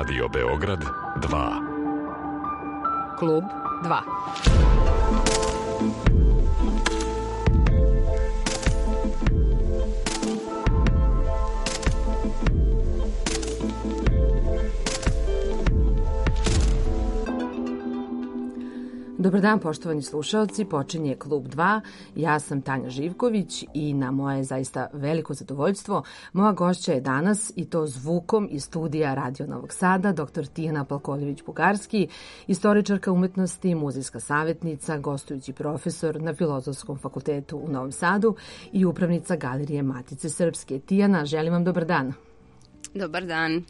Radio Beograd 2. Klub 2. Dobar dan, poštovani slušaoci, počinje Klub 2. Ja sam Tanja Živković i na moje zaista veliko zadovoljstvo moja gošća je danas, i to zvukom iz studija Radio Novog Sada, dr. Tijana Palkoljević-Bugarski, istoričarka umetnosti, muzejska savjetnica, gostujući profesor na Filozofskom fakultetu u Novom Sadu i upravnica Galerije Matice Srpske. Tijana, želim vam dobar dan. Dobar dan.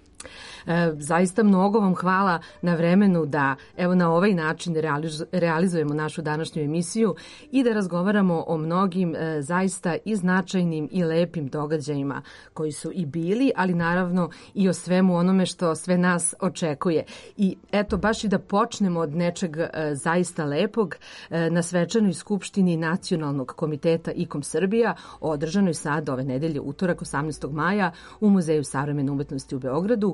Zaista mnogo vam hvala na vremenu da evo na ovaj način realizujemo našu današnju emisiju i da razgovaramo o mnogim zaista i značajnim i lepim događajima koji su i bili, ali naravno i o svemu onome što sve nas očekuje. I eto, baš i da počnemo od nečeg zaista lepog, na svečanoj skupštini Nacionalnog komiteta IKOM Srbija, održanoj sad ove nedelje, utorak 18. maja u Muzeju savremene umetnosti u Beogradu,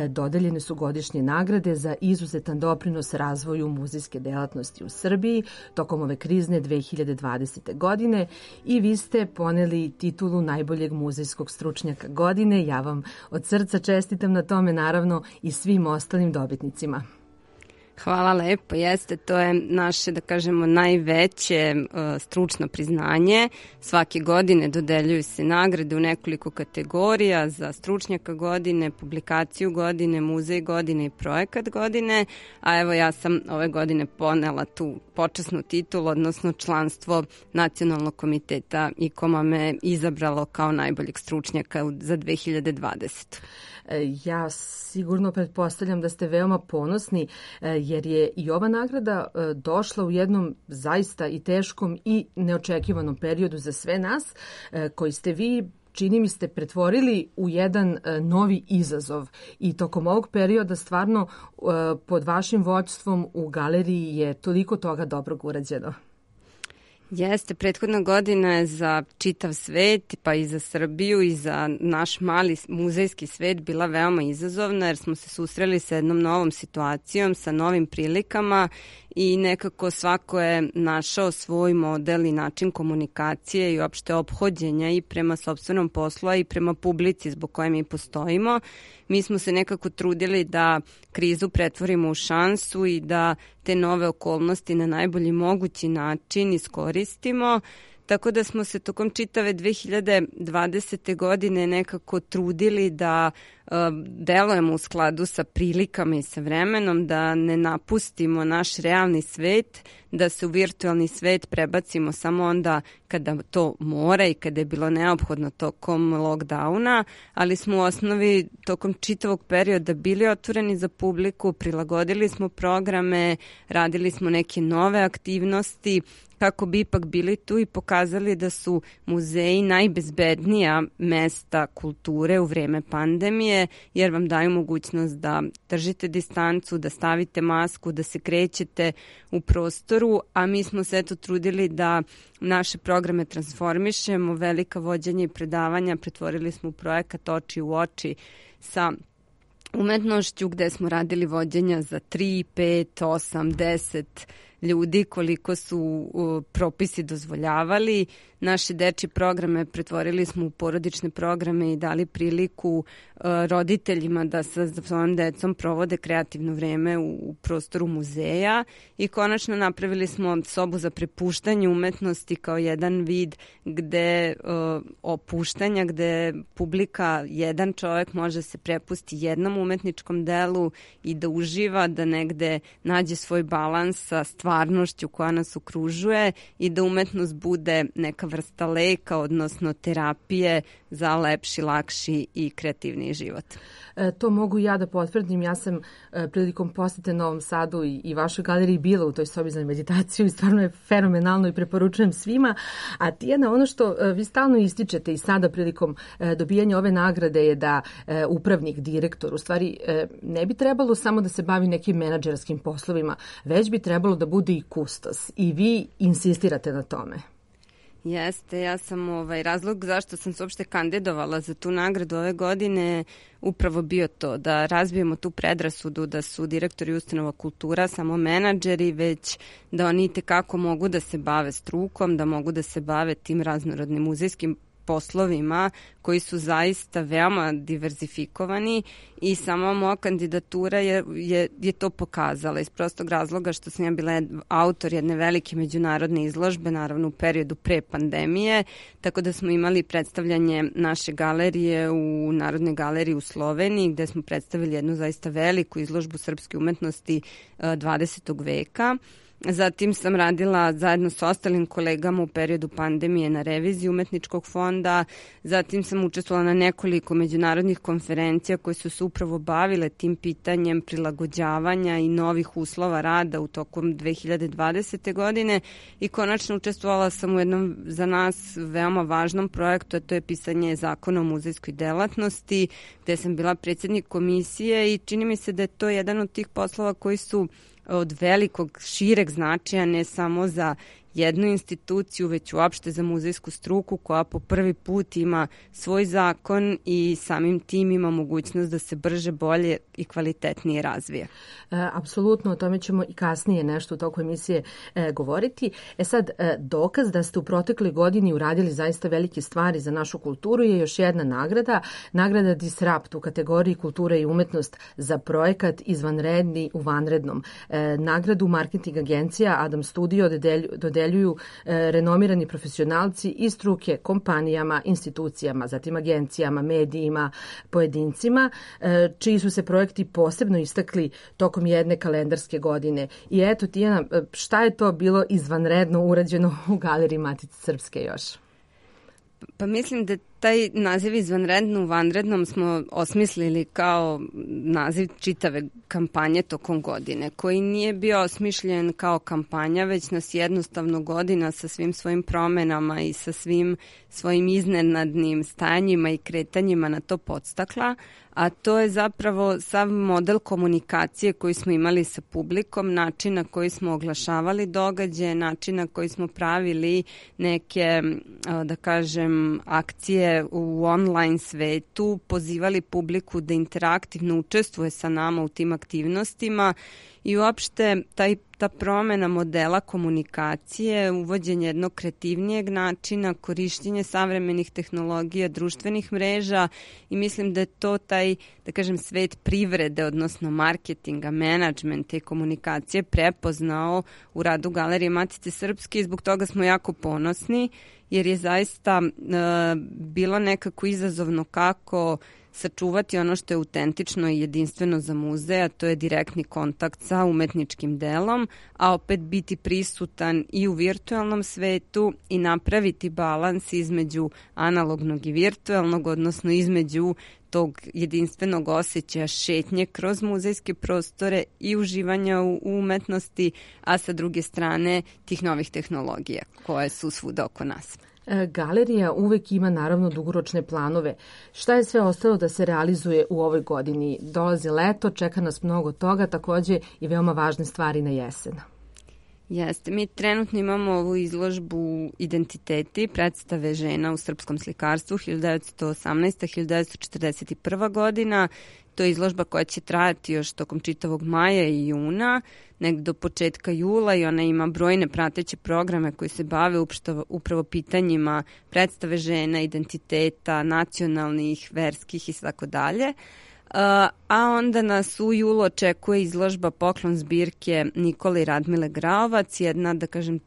dodeljene su godišnje nagrade za izuzetan doprinos razvoju muzejske delatnosti u Srbiji tokom ove krizne 2020. godine i vi ste poneli titulu najboljeg muzejskog stručnjaka godine. Ja vam od srca čestitam na tome, naravno i svim ostalim dobitnicima. Hvala lepo, jeste, to je naše, da kažemo, najveće stručno priznanje. Svake godine dodeljuju se nagrade u nekoliko kategorija za stručnjaka godine, publikaciju godine, muzej godine i projekat godine, a evo ja sam ove godine ponela tu počasnu titulu, odnosno članstvo Nacionalnog komiteta IKOM-a me izabralo kao najboljeg stručnjaka za 2020. Ja sigurno pretpostavljam da ste veoma ponosni jer je i ova nagrada došla u jednom zaista i teškom i neočekivanom periodu za sve nas koji ste vi, čini mi ste, pretvorili u jedan novi izazov i tokom ovog perioda stvarno pod vašim vođstvom u galeriji je toliko toga dobrog urađeno. Jeste, prethodna godina je za čitav svet, pa i za Srbiju i za naš mali muzejski svet bila veoma izazovna jer smo se susreli sa jednom novom situacijom, sa novim prilikama i nekako svako je našao svoj model i način komunikacije i uopšte ophođenja i prema sopstvenom poslu i prema publici zbog koje mi postojimo. Mi smo se nekako trudili da krizu pretvorimo u šansu i da te nove okolnosti na najbolji mogući način iskoristimo. Tako da smo se tokom čitave 2020. godine nekako trudili da delujemo u skladu sa prilikama i sa vremenom, da ne napustimo naš realni svet, da se u virtualni svet prebacimo samo onda kada to mora i kada je bilo neophodno tokom lockdowna, ali smo u osnovi tokom čitavog perioda bili otvoreni za publiku, prilagodili smo programe, radili smo neke nove aktivnosti, kako bi ipak bili tu i pokazali da su muzeji najbezbednija mesta kulture u vreme pandemije, jer vam daju mogućnost da držite distancu, da stavite masku, da se krećete u prostoru, a mi smo se eto trudili da naše programe transformišemo, velika vođenja i predavanja pretvorili smo u projekat Oči u oči sa umetnošću gde smo radili vođenja za 3, 5, 8, 10 ljudi koliko su propisi dozvoljavali. Naše dečje programe pretvorili smo u porodične programe i dali priliku roditeljima da sa svojom decom provode kreativno vreme u prostoru muzeja i konačno napravili smo sobu za prepuštanje umetnosti kao jedan vid gde opuštanja, gde publika, jedan čovjek može se prepusti jednom umetničkom delu i da uživa, da negde nađe svoj balans sa stvarnošću koja nas okružuje i da umetnost bude neka vrsta leka, odnosno terapije za lepši, lakši i kreativniji život. To mogu ja da potvrdim. Ja sam prilikom posete Novom Sadu i vašoj galeriji bila u toj sobi za meditaciju i stvarno je fenomenalno i preporučujem svima. A Tijana, ono što vi stalno ističete i sada prilikom dobijanja ove nagrade je da upravnik, direktor, u stvari ne bi trebalo samo da se bavi nekim menadžerskim poslovima, već bi trebalo da bude i kustos. I vi insistirate na tome. Jeste, ja sam razlog zašto sam se uopšte kandidovala za tu nagradu ove godine upravo bio to, da razbijemo tu predrasudu da su direktori ustanova kultura samo menadžeri, već da oni itekako mogu da se bave strukom, da mogu da se bave tim raznorodnim muzejskim poslovima koji su zaista veoma diverzifikovani i sama moja kandidatura je to pokazala iz prostog razloga što sam ja bila autor jedne velike međunarodne izložbe, naravno u periodu pre pandemije, tako da smo imali predstavljanje naše galerije u Narodnoj galeriji u Sloveniji gde smo predstavili jednu zaista veliku izložbu srpske umetnosti 20. veka. Zatim sam radila zajedno sa ostalim kolegama u periodu pandemije na reviziji umetničkog fonda. Zatim sam učestvovala na nekoliko međunarodnih konferencija koje su se upravo bavile tim pitanjem prilagođavanja i novih uslova rada u tokom 2020. godine i konačno učestvovala sam u jednom za nas veoma važnom projektu, a to je pisanje zakona o muzejskoj delatnosti, gde sam bila predsjednik komisije i čini mi se da je to jedan od tih poslova koji su od velikog, šireg značaja ne samo za jednu instituciju, već uopšte za muzejsku struku koja po prvi put ima svoj zakon i samim tim ima mogućnost da se brže, bolje i kvalitetnije razvije. Apsolutno, o tome ćemo i kasnije nešto u toku emisije govoriti. Sad, dokaz da ste u protekloj godini uradili zaista velike stvari za našu kulturu je još jedna nagrada, nagrada Disrupt u kategoriji kultura i umetnost za projekat Izvanredni u vanrednom. Nagradu marketing agencija Adam Studio dodeljuju renomirani profesionalci iz struke kompanijama, institucijama, zatim agencijama, medijima, pojedincima, čiji su se projekti posebno istakli tokom jedne kalendarske godine. I eto, Tijana, šta je to bilo izvanredno urađeno u Galeriji Matice Srpske još? Pa mislim da taj naziv izvanredno u vanrednom smo osmislili kao naziv čitave kampanje tokom godine, koji nije bio osmišljen kao kampanja, već nas jednostavno godina sa svim svojim promenama i sa svim svojim iznenadnim stanjima i kretanjima na to podstakla, a to je zapravo sav model komunikacije koji smo imali sa publikom, način na koji smo oglašavali događaje, način na koji smo pravili neke, da kažem, akcije u online svetu, pozivali publiku da interaktivno učestvuje sa nama u tim aktivnostima i uopšte ta promena modela komunikacije, uvođenje jednog kreativnijeg načina, korišćenje savremenih tehnologija, društvenih mreža i mislim da je to taj, da kažem, svet privrede, odnosno marketinga, menadžmenta i komunikacije prepoznao u radu Galerije Matice Srpske i zbog toga smo jako ponosni jer je zaista bilo nekako izazovno kako sačuvati ono što je autentično i jedinstveno za muzej, a to je direktni kontakt sa umetničkim delom, a opet biti prisutan i u virtualnom svetu i napraviti balans između analognog i virtualnog, odnosno između tog jedinstvenog osjećaja šetnje kroz muzejske prostore i uživanja u umetnosti, a sa druge strane tih novih tehnologija koje su svuda oko nas. Galerija uvek ima naravno dugoročne planove. Šta je sve ostalo da se realizuje u ovoj godini? Dolazi leto, čeka nas mnogo toga, takođe i veoma važne stvari na jesen. Jeste, mi trenutno imamo ovu izložbu Identiteti, predstave žena u srpskom slikarstvu 1918-1941. godina. To je izložba koja će trajati još tokom čitavog maja i juna, negdje do početka jula i ona ima brojne prateće programe koji se bave upravo pitanjima predstave žena, identiteta, nacionalnih, verskih i tako dalje. A onda nas u julu očekuje izložba Poklon zbirke Nikole i Radmile Graovac, jedna, da kažem,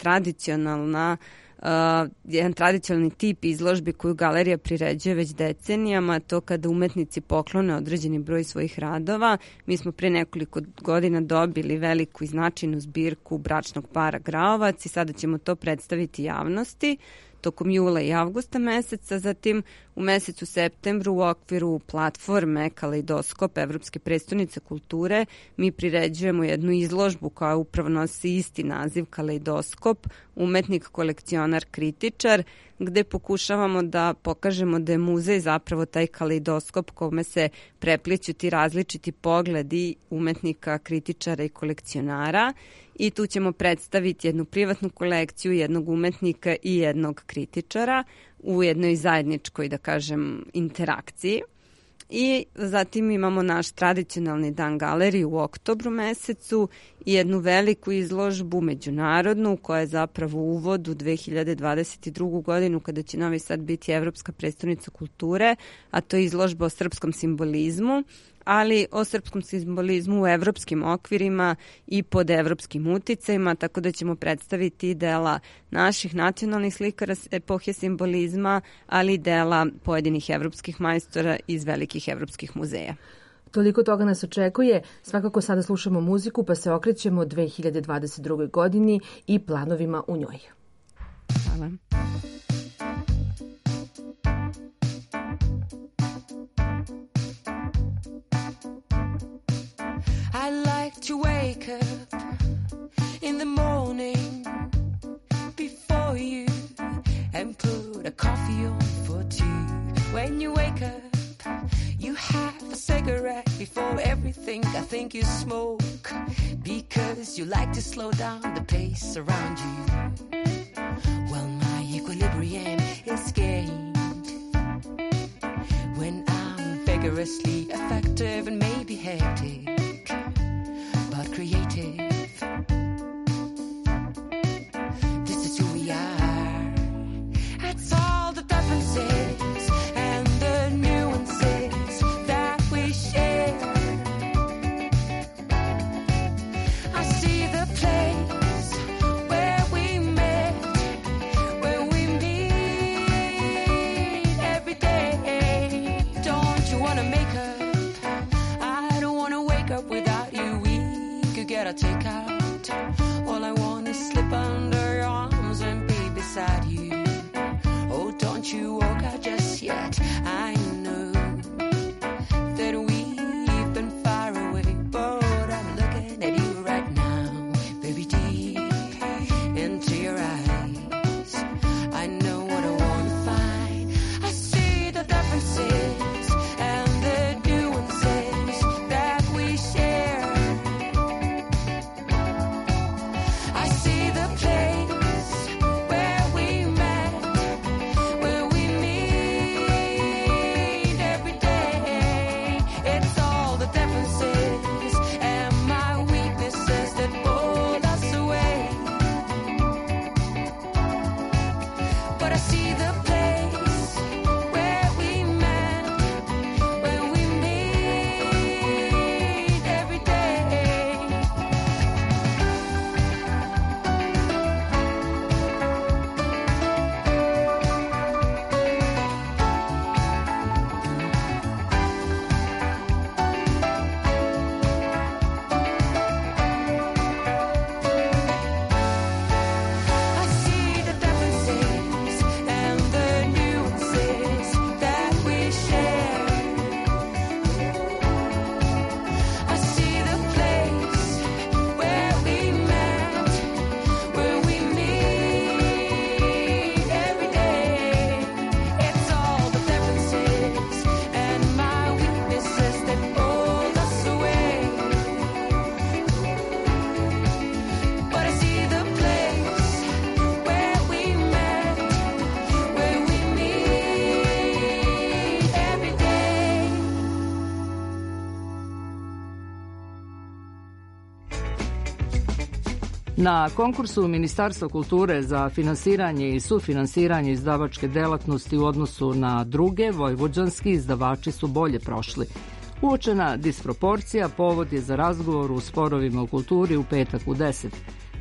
jedan tradicionalni tip izložbi koju galerija priređuje već decenijama, to kada umetnici poklone određeni broj svojih radova. Mi smo pre nekoliko godina dobili veliku i značajnu zbirku bračnog para Graovac i sada ćemo to predstaviti javnosti tokom jula i avgusta meseca. Zatim U mesecu septembru u okviru platforme Kaleidoskop Evropske prestonice kulture mi priređujemo jednu izložbu koja upravo nosi isti naziv Kaleidoskop, umetnik, kolekcionar, kritičar, gde pokušavamo da pokažemo da je muzej zapravo taj kaleidoskop kome se prepliću ti različiti pogledi umetnika, kritičara i kolekcionara. I tu ćemo predstaviti jednu privatnu kolekciju jednog umetnika i jednog kritičara u jednoj zajedničkoj, da kažem, interakciji. I zatim imamo naš tradicionalni dan galerije u oktobru mesecu i jednu veliku izložbu međunarodnu koja je zapravo uvod u 2022. godinu kada će Novi Sad biti Evropska prestonica kulture, a to je izložba o srpskom simbolizmu, ali o srpskom simbolizmu u evropskim okvirima i pod evropskim uticajima, tako da ćemo predstaviti dela naših nacionalnih slikara epohe simbolizma, ali i dela pojedinih evropskih majstora iz velikih evropskih muzeja. Toliko toga nas očekuje. Svakako sada slušamo muziku pa se okrećemo 2022. godini i planovima u njoj. Hvala. I like to wake up in the morning before you and put a coffee on for two. When you wake up, you have a cigarette before everything. I think you smoke because you like to slow down the pace around you. Well, my equilibrium is gained when I'm vigorously effective and maybe hectic, but creative. This is who we are. That's all the differences and the nuances that we share. I see the place where we met, where we meet every day. Don't you wanna make up? I don't wanna wake up without you. We could get a takeout. All I want is slip under your arms and be beside you. Oh, don't you walk out just yet. I know that we've been far away, but I'm looking at you right now, baby, deep into your eyes. I know what I want to find. I see the differences and the nuances that we share. I see the place where we met, where we meet every day. It's all the differences and my weaknesses that pulled us away. But I see the place where we met, where we meet every day. I see the differences and the nuances that we share. I see the place where we met, where we meet every day. It's all the differences and my weaknesses that pulled us away. But I see the place where we met, where we meet every day. Na konkursu Ministarstva kulture za finansiranje i sufinansiranje izdavačke delatnosti u odnosu na druge, vojvođanski izdavači su bolje prošli. Uočena disproporcija povod je za razgovor u sporovima u kulturi u petak u 10.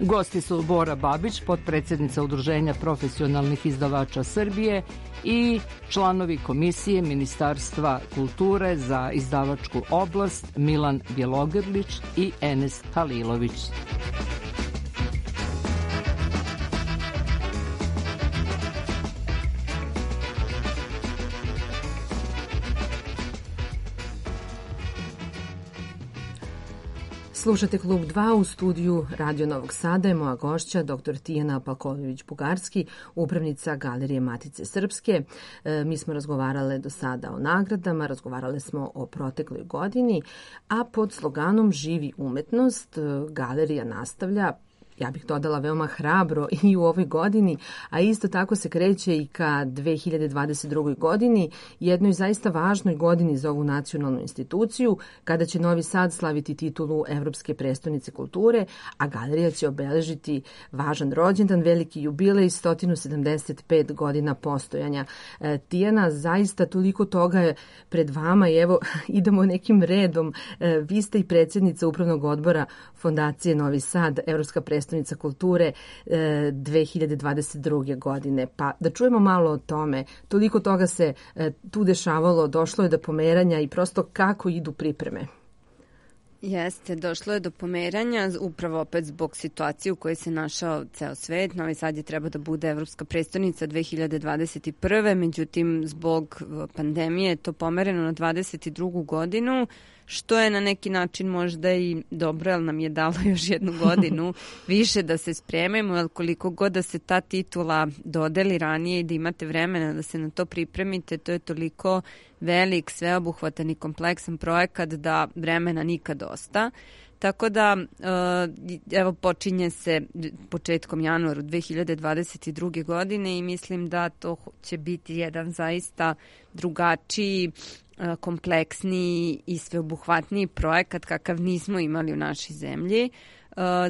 Gosti su Bora Babić, potpredsjednica Udruženja profesionalnih izdavača Srbije i članovi Komisije Ministarstva kulture za izdavačku oblast Milan Bjelogrlić i Enes Halilović. Slušate Klub 2 u studiju Radio Novog Sada. Je moja gošća, dr. Tijana Palković-Bugarski, upravnica Galerije Matice Srpske. Mi smo razgovarale do sada o nagradama, razgovarale smo o protekloj godini, a pod sloganom Živi umetnost galerija nastavlja, ja bih dodala veoma hrabro, i u ovoj godini, a isto tako se kreće i ka 2022. godini, jednoj zaista važnoj godini za ovu nacionalnu instituciju, kada će Novi Sad slaviti titulu Evropske prestonice kulture, a galerija će obeležiti važan rođendan, veliki jubilej, 175 godina postojanja. Tijana, zaista toliko toga je pred vama i evo idemo nekim redom. Vi ste i predsjednica Upravnog odbora Fondacije Novi Sad, Evropska prestonica kulture 2022. godine. Pa da čujemo malo o tome. Toliko toga se tu dešavalo, došlo je do pomeranja i prosto kako idu pripreme. Jeste, došlo je do pomeranja, upravo opet zbog situacije u kojoj se našao ceo svet. Novi Sad je trebao da bude Evropska prestonica 2021. Međutim, zbog pandemije je to pomereno na 2022. godinu, što je na neki način možda i dobro, jer nam je dalo još jednu godinu više da se spremimo, jer koliko god da se ta titula dodeli ranije i da imate vremena da se na to pripremite, to je toliko velik, sveobuhvatan i kompleksan projekat da vremena nikad dosta. Tako da, evo, počinje se početkom januara 2022. godine i mislim da to će biti jedan zaista drugačiji, kompleksniji i sveobuhvatniji projekat kakav nismo imali u našoj zemlji.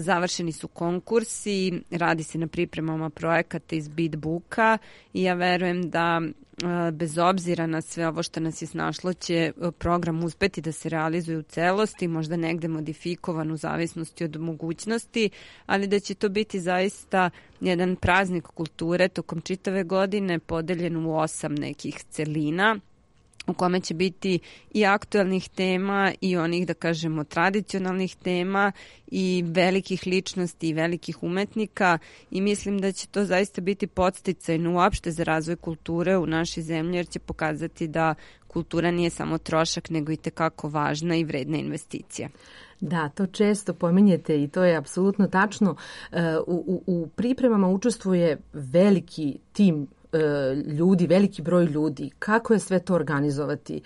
Završeni su konkursi, radi se na pripremama projekata iz Beatbooka i ja verujem da bez obzira na sve ovo što nas je snašlo će program uspeti da se realizuje u celosti, možda negde modifikovan u zavisnosti od mogućnosti, ali da će to biti zaista jedan praznik kulture tokom čitave godine podeljen u 8 nekih celina, u kome će biti i aktuelnih tema i onih, da kažemo, tradicionalnih tema i velikih ličnosti i velikih umetnika i mislim da će to zaista biti podsticajno uopšte za razvoj kulture u našoj zemlji, jer će pokazati da kultura nije samo trošak, nego i tekako važna i vredna investicija. Da, to često pominjete i to je apsolutno tačno. U pripremama učestvuje veliki tim ljudi, veliki broj ljudi. Kako je sve to organizovati?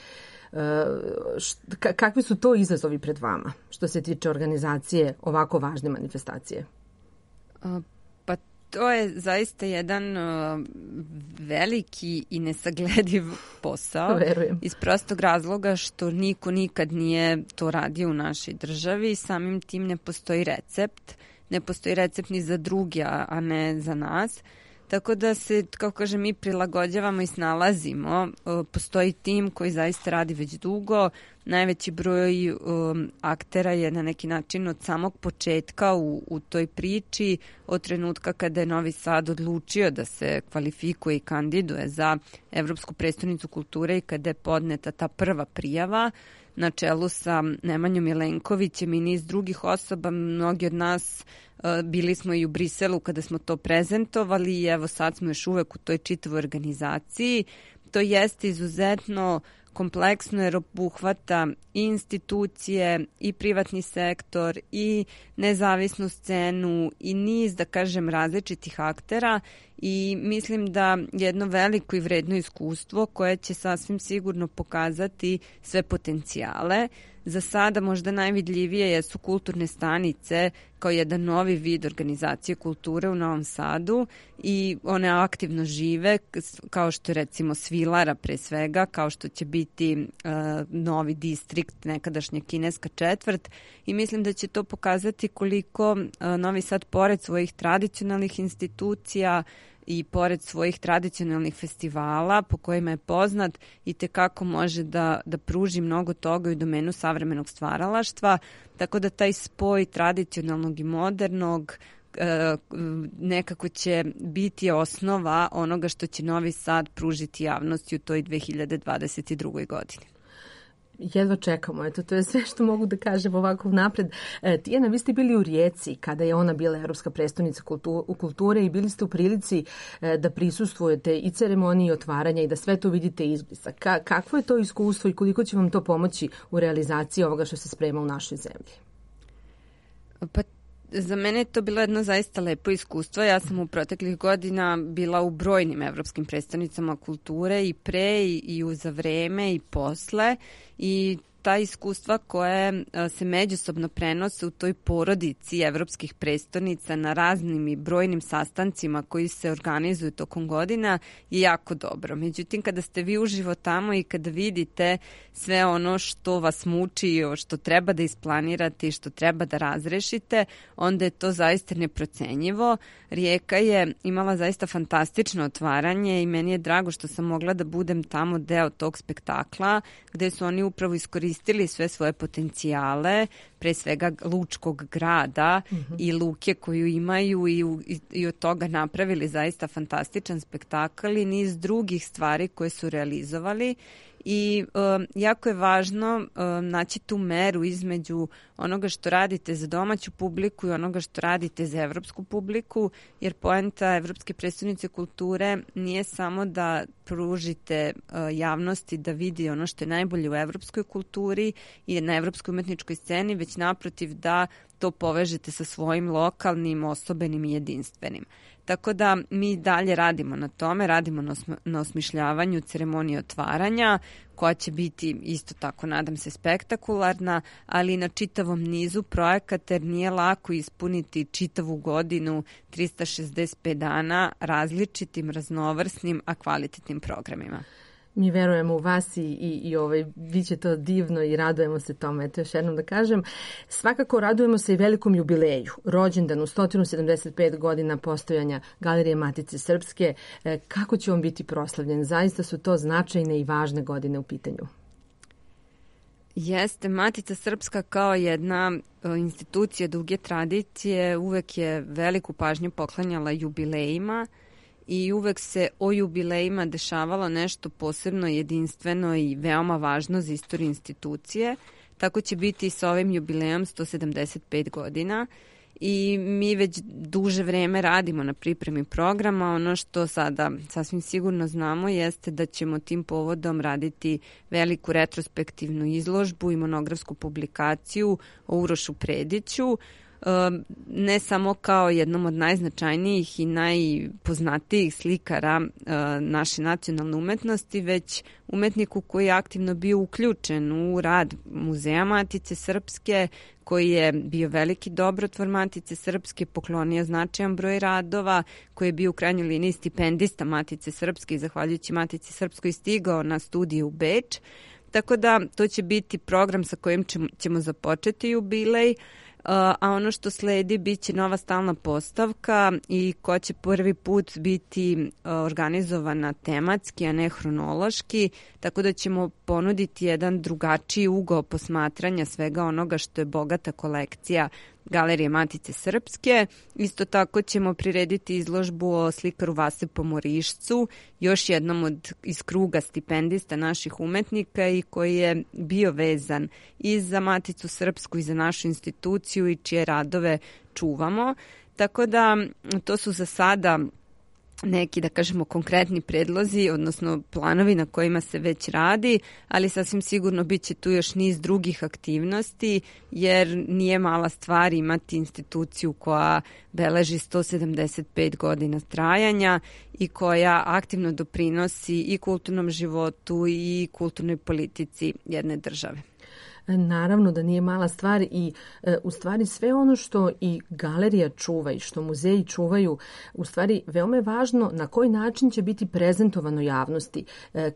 Kakvi su to izazovi pred vama što se tiče organizacije ovako važne manifestacije? Pa to je zaista jedan veliki i nesaglediv posao. Verujem. Iz prostog razloga što niko nikad nije to radio u našoj državi i samim tim ne postoji recept. Ne postoji recept ni za druge, a ne za nas. Tako da se, kao kažem, mi prilagođavamo i snalazimo. Postoji tim koji zaista radi već dugo. Najveći broj aktera je na neki način od samog početka u toj priči, od trenutka kada je Novi Sad odlučio da se kvalifikuje i kandiduje za Evropsku prestonicu kulture i kada je podneta ta prva prijava na čelu sa Nemanjom Milenkovićem i niz drugih osoba. Mnogi od nas bili smo i u Briselu kada smo to prezentovali i evo sad smo još uvek u toj čitavoj organizaciji. To jeste izuzetno kompleksno jer obuhvata i institucije i privatni sektor i nezavisnu scenu i niz, da kažem, različitih aktera i mislim da jedno veliko i vredno iskustvo koje će sasvim sigurno pokazati sve potencijale. Za sada možda najvidljivije jesu kulturne stanice kao jedan novi vid organizacije kulture u Novom Sadu i one aktivno žive, kao što je recimo Svilara pre svega, kao što će biti novi distrikt, nekadašnja kineska četvrt i mislim da će to pokazati koliko Novi Sad pored svojih tradicionalnih institucija i pored svojih tradicionalnih festivala po kojima je poznat i tekako može da pruži mnogo toga u domenu savremenog stvaralaštva, tako da taj spoj tradicionalnog i modernog nekako će biti osnova onoga što će Novi Sad pružiti javnosti u toj 2022. godini. Jedva čekamo, eto, to je sve što mogu da kažem ovako napred. Tijana, vi ste bili u Rijeci kada je ona bila Evropska prestonica kulture i bili ste u prilici da prisustvujete i ceremoniji otvaranja i da sve to vidite izblisa. Kakvo je to iskustvo i koliko će vam to pomoći u realizaciji ovoga što se sprema u našoj zemlji? Pa za mene je to bilo jedno zaista lepo iskustvo. Ja sam u proteklih godina bila u brojnim evropskim predstavnicama kulture i pre i za vreme i posle i ta iskustva koje se međusobno prenose u toj porodici evropskih prestonica na raznim i brojnim sastancima koji se organizuju tokom godina je jako dobro. Međutim, kada ste vi uživo tamo i kada vidite sve ono što vas muči, što treba da isplanirate i što treba da razrešite, onda je to zaista neprocenjivo. Rijeka je imala zaista fantastično otvaranje i meni je drago što sam mogla da budem tamo deo tog spektakla gde su oni upravo iskoristili sve svoje potencijale, pre svega lučkog grada i luke koju imaju i od toga napravili zaista fantastičan spektakl i niz drugih stvari koje su realizovali. I jako je važno naći tu meru između onoga što radite za domaću publiku i onoga što radite za evropsku publiku, jer poenta Evropske prestonice kulture nije samo da pružite javnosti da vidi ono što je najbolje u evropskoj kulturi i na evropskoj umetničkoj sceni, već naprotiv da to povežete sa svojim lokalnim, osobenim i jedinstvenim. Tako da mi dalje radimo na tome, radimo na osmišljavanju ceremonije otvaranja, koja će biti isto tako, nadam se, spektakularna, ali i na čitavom nizu projekata, jer nije lako ispuniti čitavu godinu, 365 dana, različitim, raznovrsnim, a kvalitetnim programima. Mi verujemo u vas i bit će to divno i radujemo se tome. Eto još jednom da kažem. Svakako radujemo se i velikom jubileju. Rođendanu 175 godina postojanja Galerije Matice Srpske. Kako će on biti proslavljen? Zaista su to značajne i važne godine u pitanju. Jeste, Matica Srpska kao jedna institucija duge tradicije uvek je veliku pažnju poklanjala jubilejima i uvek se o jubilejima dešavalo nešto posebno jedinstveno i veoma važno za istoriju institucije. Tako će biti i sa ovim jubilejom 175 godina i mi već duže vreme radimo na pripremi programa. Ono što sada sasvim sigurno znamo jeste da ćemo tim povodom raditi veliku retrospektivnu izložbu i monografsku publikaciju o Urošu Prediću, ne samo kao jednom od najznačajnijih i najpoznatijih slikara naše nacionalne umetnosti, već umetniku koji je aktivno bio uključen u rad Muzeja Matice Srpske, koji je bio veliki dobrotvor Matice Srpske, poklonio značajan broj radova, koji je bio u krajnjoj liniji stipendista Matice Srpske i zahvaljujući Matici Srpskoj stigao na studije u Beč. Tako da to će biti program sa kojim ćemo započeti jubilej, a ono što sledi bit će nova stalna postavka i koja će prvi put biti organizovana tematski, a ne hronološki, tako da ćemo ponuditi jedan drugačiji ugao posmatranja svega onoga što je bogata kolekcija Galerije Matice Srpske. Isto tako ćemo prirediti izložbu o slikaru Vase Pomorišcu, još jednom iz kruga stipendista naših umetnika i koji je bio vezan i za Maticu Srpsku i za našu instituciju i čije radove čuvamo. Tako da to su za sada neki, da kažemo, konkretni predlozi, odnosno planovi na kojima se već radi, ali sasvim sigurno bit će tu još niz drugih aktivnosti, jer nije mala stvar imati instituciju koja beleži 175 godina trajanja i koja aktivno doprinosi i kulturnom životu i kulturnoj politici jedne države. Naravno da nije mala stvar i u stvari sve ono što i galerija čuva i što muzeji čuvaju, u stvari veoma je važno na koji način će biti prezentovano javnosti.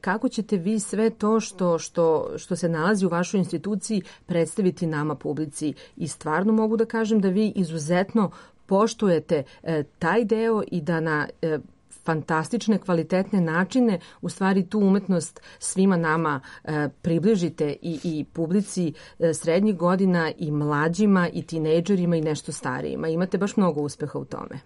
Kako ćete vi sve to što se nalazi u vašoj instituciji predstaviti nama publici i stvarno mogu da kažem da vi izuzetno poštujete taj deo i da na fantastične, kvalitetne načine u stvari tu umetnost svima nama približite i publici srednjih godina i mlađima i tinejdžerima i nešto starijima. Imate baš mnogo uspeha u tome.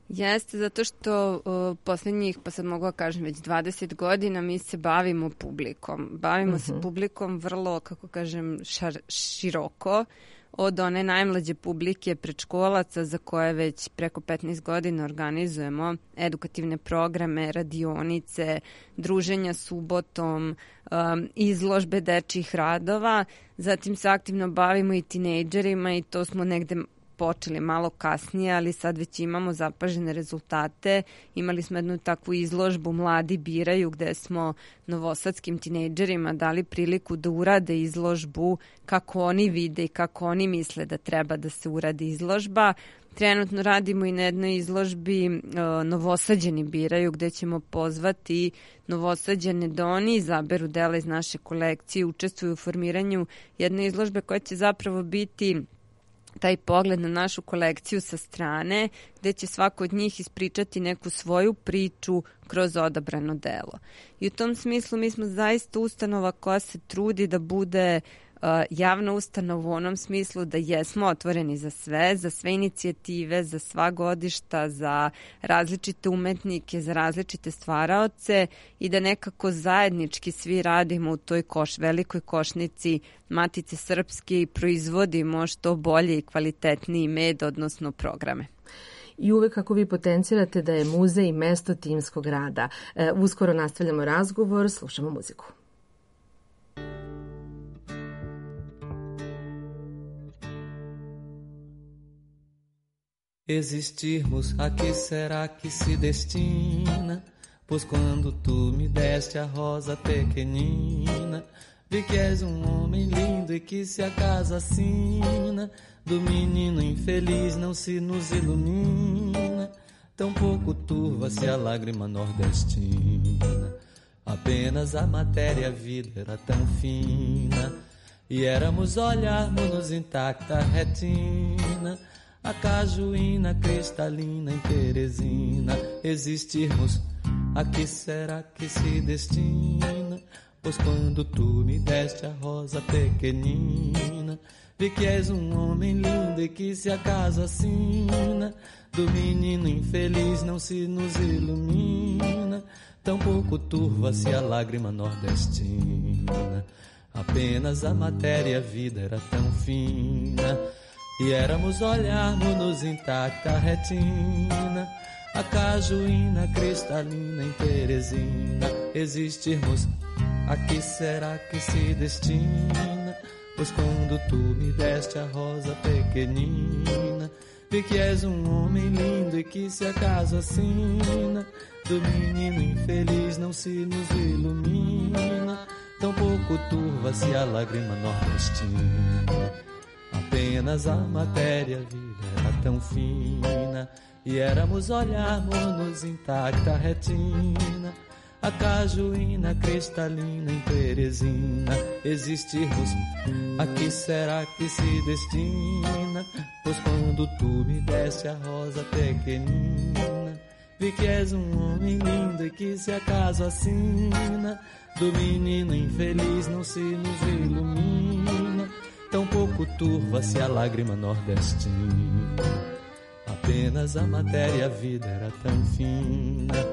Jeste, zato što poslednjih, pa sad mogu da kažem, već 20 godina mi se bavimo publikom. Bavimo se publikom vrlo, kako kažem, široko, od one najmlađe publike predškolaca za koje već preko 15 godina organizujemo edukativne programe, radionice, druženja subotom, izložbe dečjih radova. Zatim se aktivno bavimo i tinejdžerima i to smo negde počeli malo kasnije, ali sad već imamo zapažene rezultate. Imali smo jednu takvu izložbu Mladi biraju, gde smo novosadskim tinejdžerima dali priliku da urade izložbu kako oni vide i kako oni misle da treba da se uradi izložba. Trenutno radimo i na jednoj izložbi Novosađani biraju, gde ćemo pozvati Novosađane da oni izaberu dela iz naše kolekcije, učestvuju u formiranju jedne izložbe koja će zapravo biti taj pogled na našu kolekciju sa strane, gde će svako od njih ispričati neku svoju priču kroz odabrano delo. I u tom smislu mi smo zaista ustanova koja se trudi da bude javna ustanova u onom smislu da jesmo otvoreni za sve inicijative, za sva godišta, za različite umetnike, za različite stvaraoce i da nekako zajednički svi radimo u toj velikoj košnici Matice Srpske i proizvodimo što bolje i kvalitetniji med, odnosno programe. I uvek kako vi potencirate da je muzej mesto timskog rada. Uskoro nastavljamo razgovor, slušamo muziku. Existirmos, a que será que se destina? Pois quando tu me deste a rosa pequenina, vi que és homem lindo e que se a casa assina, do menino infeliz não se nos ilumina, tão pouco turva-se a lágrima nordestina. Apenas a matéria, a vida era tão fina, e éramos olharmos-nos intacta retina, a cajuína cristalina em Teresina. Existirmos, a que será que se destina? Pois quando tu me deste a rosa pequenina, vi que és homem lindo e que se acaso assina, do menino infeliz não se nos ilumina, tão pouco turva-se a lágrima nordestina. Apenas a matéria, a vida era tão fina, e éramos olharmos-nos intacta retina, a cajuína cristalina em Teresina. Existirmos, a que será que se destina? Pois quando tu me deste a rosa pequenina, vi que és homem lindo e que se acaso assina, do menino infeliz não se nos ilumina, tão pouco turva-se a lágrima nordestina. Apenas a matéria, a vida era tão fina, e éramos olharmos-nos intacta retina, a cajuína cristalina em Teresina. Existirmos, a que será que se destina? Pois quando tu me deste a rosa pequenina, vi que és homem lindo e que se acaso assina, do menino infeliz não se nos ilumina, tão pouco turva-se a lágrima nordestina. Apenas a matéria, a vida era tão fina,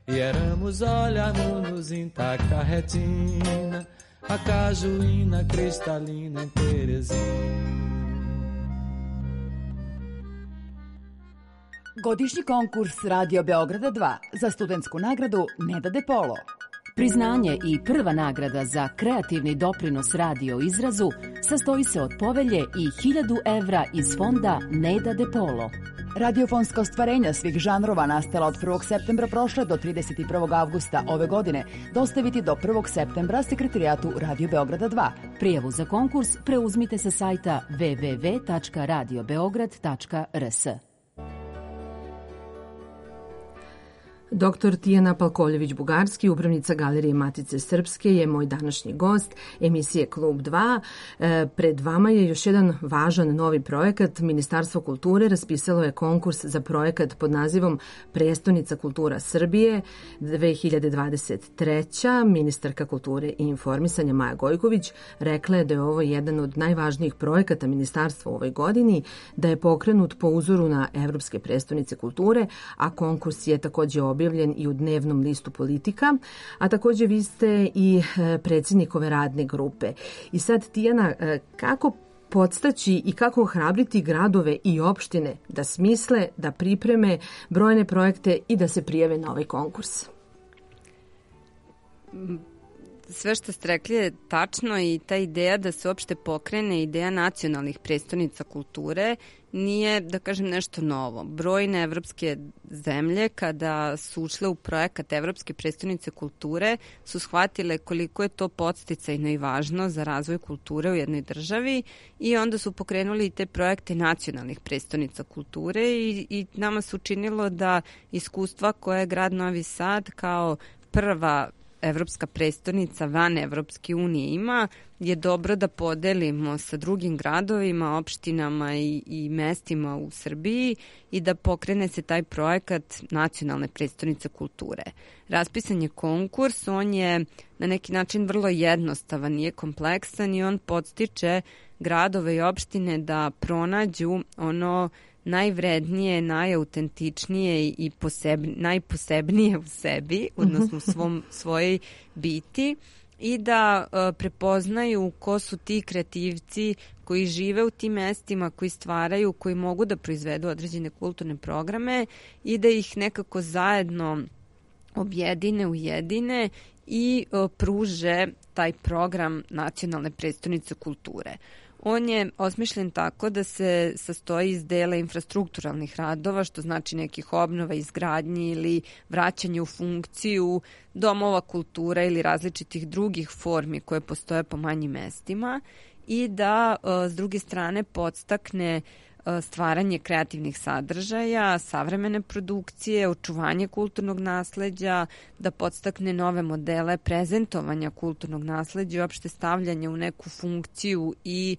e éramos olharmos intacta retina, a cajuína cristalina em Teresina. Godišnji konkurs Radio Beograda 2 za studentsku nagradu Neda De Polo. Priznanje i prva nagrada za kreativni doprinos radio izrazu sastoji se od povelje i 1000 evra iz fonda Neda De Polo. Radiofonska ostvarenja svih žanrova nastala od 1. septembra prošle do 31. avgusta ove godine dostaviti do 1. septembra Sekretarijatu Radio Beograda 2. Prijavu za konkurs preuzmite sa sajta www.radiobeograd.rs. Dr. Tijana Palkoljević-Bugarski, upravnica Galerije Matice Srpske, je moj današnji gost emisije Klub 2. Pred vama je još jedan važan novi projekat. Ministarstvo kulture raspisalo je konkurs za projekat pod nazivom Prestonica kultura Srbije 2023. Ministarka kulture i informisanja Maja Gojković rekla je da je ovo jedan od najvažnijih projekata ministarstva u ovoj godini, da je pokrenut po uzoru na Evropske prestonice kulture, a konkurs je takođe objavljen i u dnevnom listu Politika, a takođe vi ste i predsjednik ove radne grupe. I sad, Tijana, kako podstaći i kako ohrabriti gradove i opštine da smisle, da pripreme brojne projekte i da se prijave na ovaj konkurs? sve što ste rekli je tačno i ta ideja da se uopšte pokrene ideja nacionalnih prestonica kulture nije, da kažem, nešto novo. Brojne evropske zemlje kada su ušle u projekat Evropske prestonice kulture su shvatile koliko je to podsticajno i važno za razvoj kulture u jednoj državi i onda su pokrenuli i te projekte nacionalnih prestonica kulture i nama se učinilo da iskustva koje je grad Novi Sad kao prva evropska prestonica van Evropske unije ima, je dobro da podelimo sa drugim gradovima, opštinama i mestima u Srbiji i da pokrene se taj projekat nacionalne prestonice kulture. Raspisan je konkurs, on je na neki način vrlo jednostavan, nije kompleksan i on podstiče gradove i opštine da pronađu ono najvrednije, najautentičnije i najposebnije u sebi, odnosno svojoj biti i da prepoznaju ko su ti kreativci koji žive u tim mestima, koji stvaraju, koji mogu da proizvedu određene kulturne programe i da ih nekako zajedno objedine, ujedine i pruže taj program nacionalne prestonice kulture. On je osmišljen tako da se sastoji iz dela infrastrukturalnih radova, što znači nekih obnova, izgradnji ili vraćanje u funkciju domova kulture ili različitih drugih formi koje postoje po manjim mestima i da s druge strane podstakne stvaranje kreativnih sadržaja, savremene produkcije, očuvanje kulturnog nasleđa, da podstakne nove modele prezentovanja kulturnog nasleđa i opšte stavljanje u neku funkciju i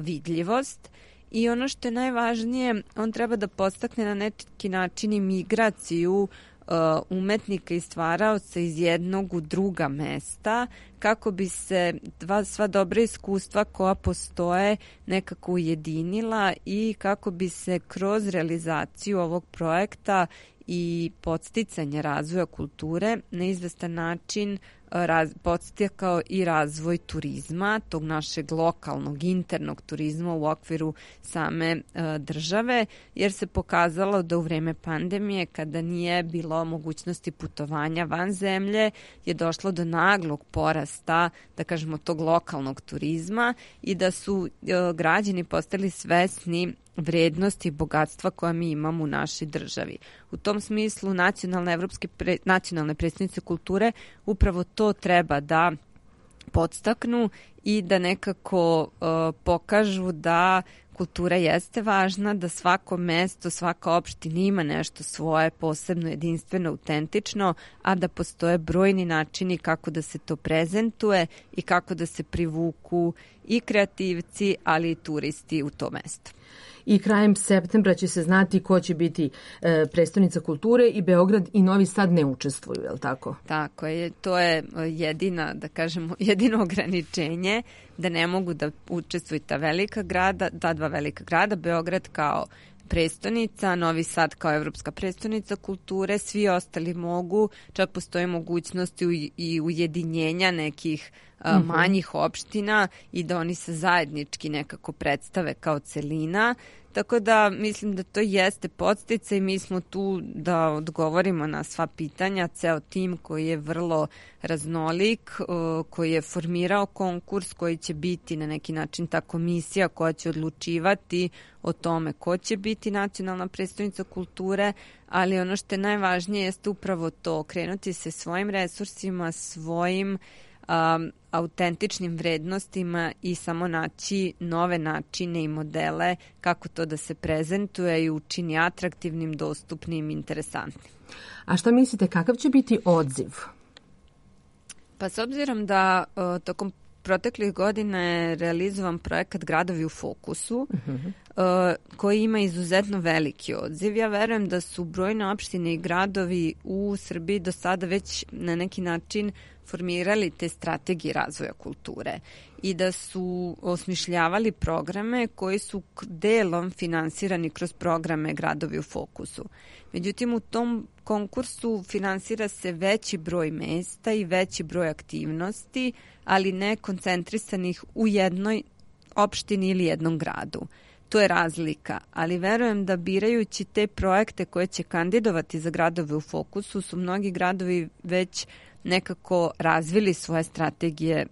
vidljivost. I ono što je najvažnije, on treba da podstakne na neki način i migraciju umetnika i stvaraoca iz jednog u druga mesta, kako bi se sva dobra iskustva koja postoje nekako ujedinila i kako bi se kroz realizaciju ovog projekta i podsticanje razvoja kulture na izvestan način podstakao i razvoj turizma, tog našeg lokalnog, internog turizma u okviru same države, jer se pokazalo da u vreme pandemije, kada nije bilo mogućnosti putovanja van zemlje, je došlo do naglog porasta, da kažemo, tog lokalnog turizma i da su građani postali svesni vrednosti i bogatstva koja mi imamo u našoj državi. U tom smislu nacionalne prestonice kulture upravo to treba da podstaknu i da nekako pokažu da kultura jeste važna, da svako mesto, svaka opština ima nešto svoje posebno, jedinstveno, autentično, a da postoje brojni načini kako da se to prezentuje i kako da se privuku i kreativci, ali i turisti u to mesto. I krajem septembra će se znati ko će biti prestonica kulture i Beograd i Novi Sad ne učestvuju, je li tako? Tako je, to je jedino ograničenje da ne mogu da učestvuju ta dva velika grada, Beograd kao prestonica, Novi Sad kao evropska prestonica kulture, svi ostali mogu, čak postoje mogućnosti i ujedinjenja nekih manjih opština i da oni se zajednički nekako predstave kao celina. Tako da mislim da to jeste podsticaj i mi smo tu da odgovorimo na sva pitanja, ceo tim koji je vrlo raznolik, koji je formirao konkurs, koji će biti na neki način ta komisija koja će odlučivati o tome ko će biti nacionalna prestonica kulture, ali ono što je najvažnije jeste upravo to, krenuti se svojim resursima, svojim autentičnim vrednostima i samo naći nove načine i modele kako to da se prezentuje i učini atraktivnim, dostupnim, interesantnim. A šta mislite, kakav će biti odziv? Pa s obzirom da tokom proteklih godina je realizovan projekat Gradovi u fokusu, koji ima izuzetno veliki odziv. Ja verujem da su brojne opštine i gradovi u Srbiji do sada već na neki način formirali te strategije razvoja kulture i da su osmišljavali programe koji su delom finansirani kroz programe Gradovi u fokusu. Međutim, u tom konkursu finansira se veći broj mesta i veći broj aktivnosti, ali ne koncentrisanih u jednoj opštini ili jednom gradu. to je razlika, ali verujem da birajući te projekte koje će kandidovati za gradove u fokusu su mnogi gradovi već nekako razvili svoje strategije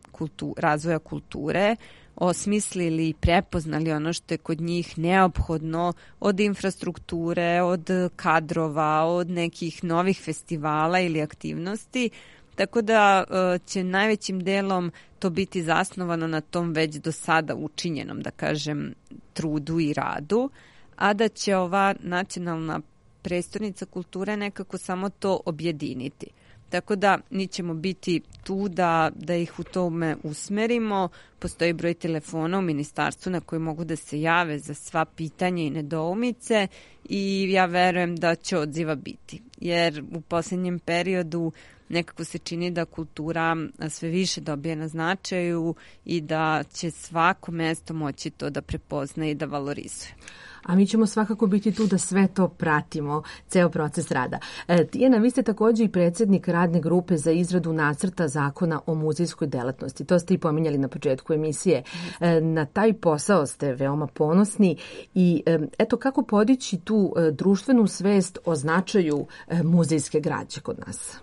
razvoja kulture, osmislili i prepoznali ono što je kod njih neophodno od infrastrukture, od kadrova, od nekih novih festivala ili aktivnosti, tako da će najvećim delom to biti zasnovano na tom već do sada učinjenom, da kažem, trudu i radu, a da će ova nacionalna prestonica kulture nekako samo to objediniti. Tako da mi ćemo biti tu da ih u tome usmerimo. Postoji broj telefona u ministarstvu na koji mogu da se jave za sva pitanja i nedoumice i ja verujem da će odziva biti. Jer u posljednjem periodu nekako se čini da kultura sve više dobije na značaju i da će svako mesto moći to da prepozna i da valorizuje. A mi ćemo svakako biti tu da sve to pratimo, ceo proces rada. Tijana, vi ste također i predsjednik radne grupe za izradu nacrta zakona o muzejskoj delatnosti. To ste i pominjali na početku emisije. Na taj posao ste veoma ponosni i eto kako podići tu društvenu svest o značaju muzejske građe kod nas?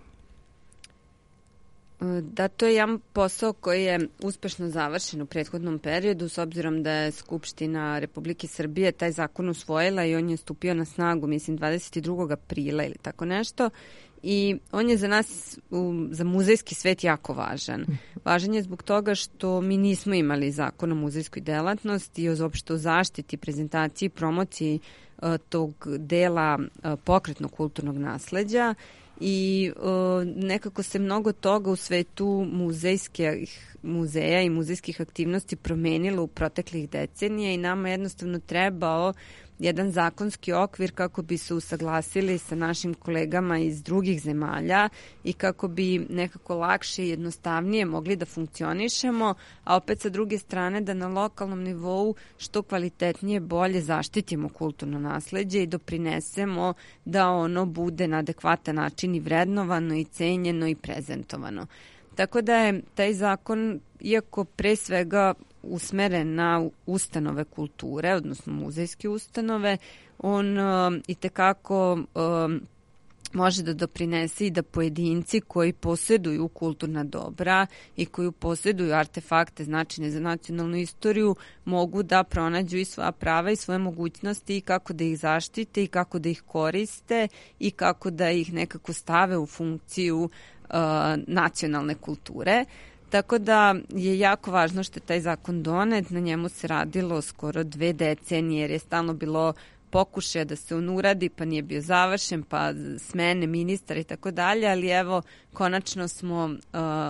Da, to je jedan posao koji je uspešno završen u prethodnom periodu, s obzirom da je Skupština Republike Srbije taj zakon usvojila i on je stupio na snagu, mislim, 22. aprila ili tako nešto. I on je za nas, za muzejski svet, jako važan. Važan je zbog toga što mi nismo imali zakon o muzejskoj delatnosti i uopšte o zaštiti, prezentaciji i promociji tog dela pokretnog kulturnog nasleđa. I nekako se mnogo toga u svetu muzeja i muzejskih aktivnosti promenilo u proteklih decenija i nama jednostavno trebao jedan zakonski okvir kako bi se usaglasili sa našim kolegama iz drugih zemalja i kako bi nekako lakše i jednostavnije mogli da funkcionišemo, a opet sa druge strane da na lokalnom nivou što kvalitetnije bolje zaštitimo kulturno nasleđe i doprinesemo da ono bude na adekvatan način i vrednovano i cenjeno i prezentovano. Tako da je taj zakon, iako pre svega usmeren na ustanove kulture, odnosno muzejske ustanove, on itekako može da doprinese i da pojedinci koji posjeduju kulturna dobra i koji posjeduju artefakte značajne za nacionalnu istoriju mogu da pronađu i svoja prava i svoje mogućnosti i kako da ih zaštite i kako da ih koriste i kako da ih nekako stave u funkciju nacionalne kulture. Tako da je jako važno što je taj zakon donet, na njemu se radilo skoro 2 decenije jer je stalno bilo pokušaja da se on uradi, pa nije bio završen, pa smene ministar i tako dalje, ali evo konačno smo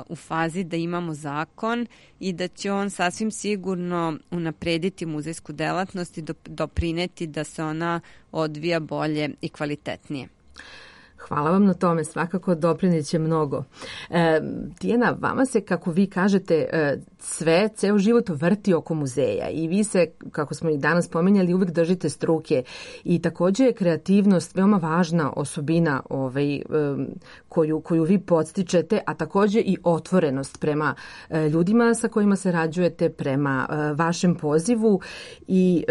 u fazi da imamo zakon i da će on sasvim sigurno unaprediti muzejsku delatnost i doprineti da se ona odvija bolje i kvalitetnije. Hvala vam na tome, svakako doprineće mnogo. Tijana, vama se, kako vi kažete, ceo život vrti oko muzeja i vi se, kako smo i danas pominjali, uvijek držite struke i također je kreativnost veoma važna osobina koju vi podstičete, a također i otvorenost prema ljudima sa kojima se rađujete, prema vašem pozivu i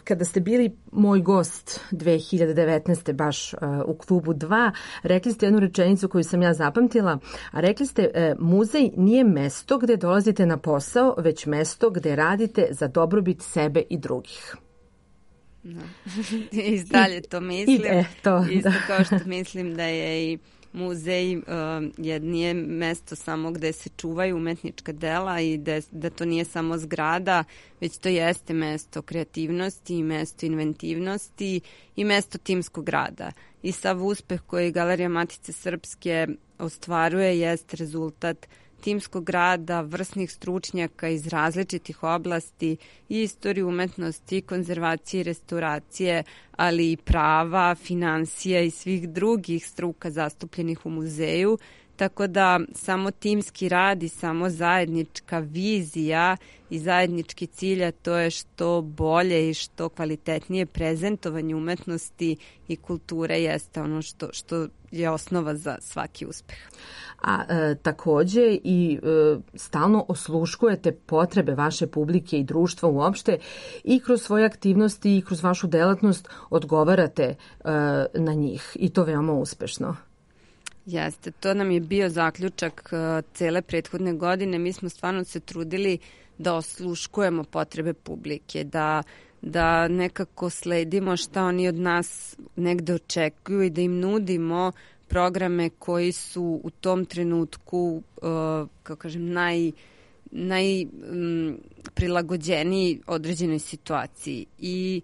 kada ste bili moj gost 2019. baš u klubu 2, rekli ste jednu rečenicu koju sam ja zapamtila, a rekli ste muzej nije mesto gde dolazite na posao, već mesto gde radite za dobrobit sebe i drugih. No. I dalje to mislim. Isto kao što mislim da je i muzej nije mesto samo gde se čuvaju umetnička dela i da to nije samo zgrada, već to jeste mesto kreativnosti, mesto inventivnosti i mesto timskog rada. I sav uspeh koji Galerija Matice Srpske ostvaruje jest rezultat timskog rada, vrsnih stručnjaka iz različitih oblasti i istorije umetnosti, i konzervacije i restauracije, ali i prava, finansija i svih drugih struka zastupljenih u muzeju, tako da samo timski rad i samo zajednička vizija i zajednički cilj, a to je što bolje i što kvalitetnije prezentovanje umetnosti i kulture jeste ono što je osnova za svaki uspeh. A takođe i stalno osluškujete potrebe vaše publike i društva uopšte i kroz svoje aktivnosti i kroz vašu delatnost odgovarate na njih i to veoma uspešno. Jeste, to nam je bio zaključak cele prethodne godine. Mi smo stvarno se trudili da osluškujemo potrebe publike, da nekako sledimo šta oni od nas negde očekuju i da im nudimo programe koji su u tom trenutku, kako kažem, najprilagođeniji određenoj situaciji. I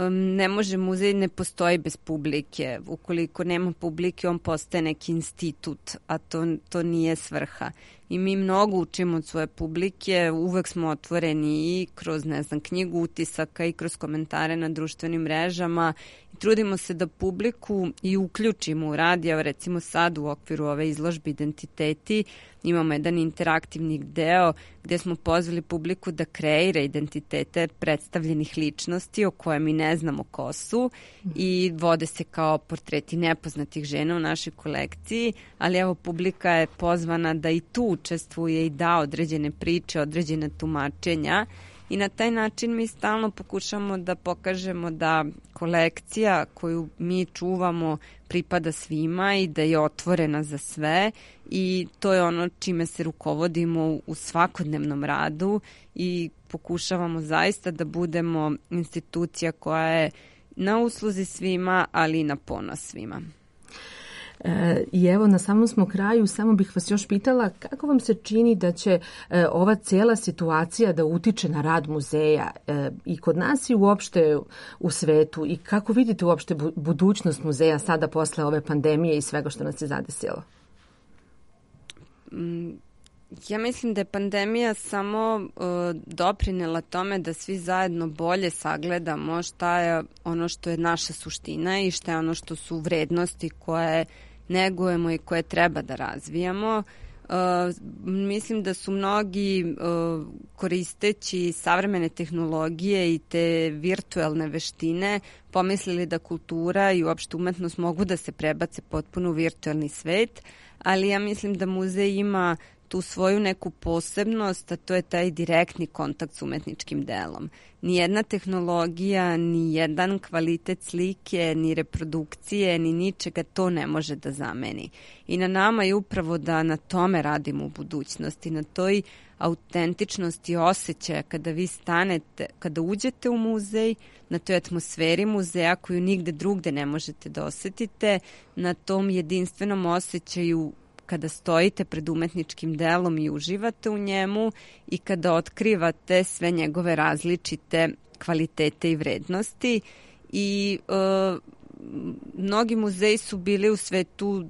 ne može, muzej ne postoji bez publike. Ukoliko nema publike, on postaje neki institut, a to nije svrha. I mi mnogo učimo od svoje publike, uvek smo otvoreni i kroz, knjigu utisaka i kroz komentare na društvenim mrežama. I trudimo se da publiku i uključimo u rad. Evo, recimo sad u okviru ove izložbe Identiteti imamo jedan interaktivni deo gde smo pozvali publiku da kreira identitete predstavljenih ličnosti o koje mi ne znamo ko su i vode se kao portreti nepoznatih žena u našoj kolekciji, ali evo publika je pozvana da i tu učestvuje i da određene priče, određene tumačenja i na taj način mi stalno pokušamo da pokažemo da kolekcija koju mi čuvamo pripada svima i da je otvorena za sve i to je ono čime se rukovodimo u svakodnevnom radu i pokušavamo zaista da budemo institucija koja je na usluzi svima, ali i na ponos svima. I evo, na samom smo kraju, samo bih vas još pitala kako vam se čini da će ova cijela situacija da utiče na rad muzeja i kod nas i uopšte u svetu i kako vidite uopšte budućnost muzeja sada posle ove pandemije i svega što nas je zadesilo? Ja mislim da je pandemija samo doprinela tome da svi zajedno bolje sagledamo šta je ono što je naša suština i šta je ono što su vrednosti koje negujemo i koje treba da razvijamo. Mislim da su mnogi koristeći savremene tehnologije i te virtuelne veštine pomislili da kultura i uopšte umetnost mogu da se prebace potpuno u virtuelni svet, ali ja mislim da muzej ima tu svoju neku posebnost, a to je taj direktni kontakt s umetničkim delom. Nijedna tehnologija, ni jedan kvalitet slike, ni reprodukcije, ni ničega to ne može da zameni. I na nama je upravo da na tome radimo u budućnosti, na toj autentičnosti osjećaja kada vi stanete, kada uđete u muzej, na toj atmosferi muzeja koju nigde drugde ne možete da osetite, na tom jedinstvenom osjećaju kada stojite pred umetničkim delom i uživate u njemu i kada otkrivate sve njegove različite kvalitete i vrednosti. I mnogi muzeji su bili u svetu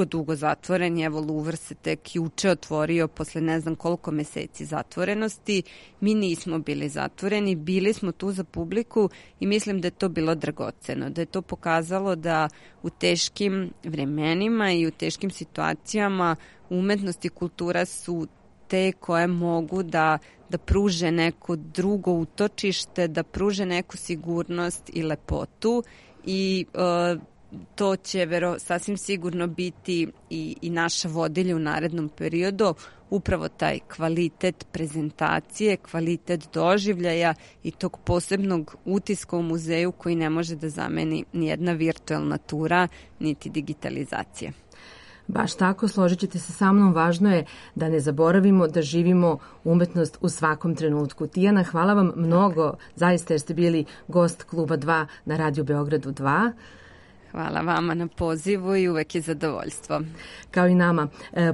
dugo zatvoreni. Evo, Louvre se tek juče otvorio posle ne znam koliko meseci zatvorenosti. Mi nismo bili zatvoreni, bili smo tu za publiku i mislim da je to bilo dragoceno, da je to pokazalo da u teškim vremenima i u teškim situacijama umetnost i kultura su te koje mogu da pruže neko drugo utočište, da pruže neku sigurnost i lepotu. I to će sasvim sigurno biti i naša vodilja u narednom periodu, upravo taj kvalitet prezentacije, kvalitet doživljaja i tog posebnog utiska u muzeju koji ne može da zameni nijedna virtualna tura niti digitalizacija. Baš tako, složit ćete se sa mnom, važno je da ne zaboravimo da živimo umetnost u svakom trenutku. Tijana, hvala vam mnogo, zaista jer ste bili gost Kluba 2 na Radio Beogradu 2. Hvala vama na pozivu i uvek je zadovoljstvo. Kao i nama.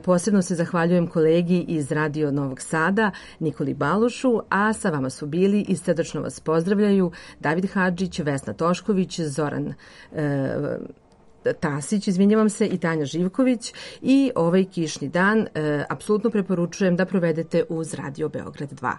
Posebno se zahvaljujem kolegi iz Radio Novog Sada, Nikoli Balošu, a sa vama su bili i srdačno vas pozdravljaju David Hadžić, Vesna Tošković, Zoran Tasić, izvinjavam se, i Tanja Živković. I ovaj kišni dan apsolutno preporučujem da provedete uz Radio Beograd 2.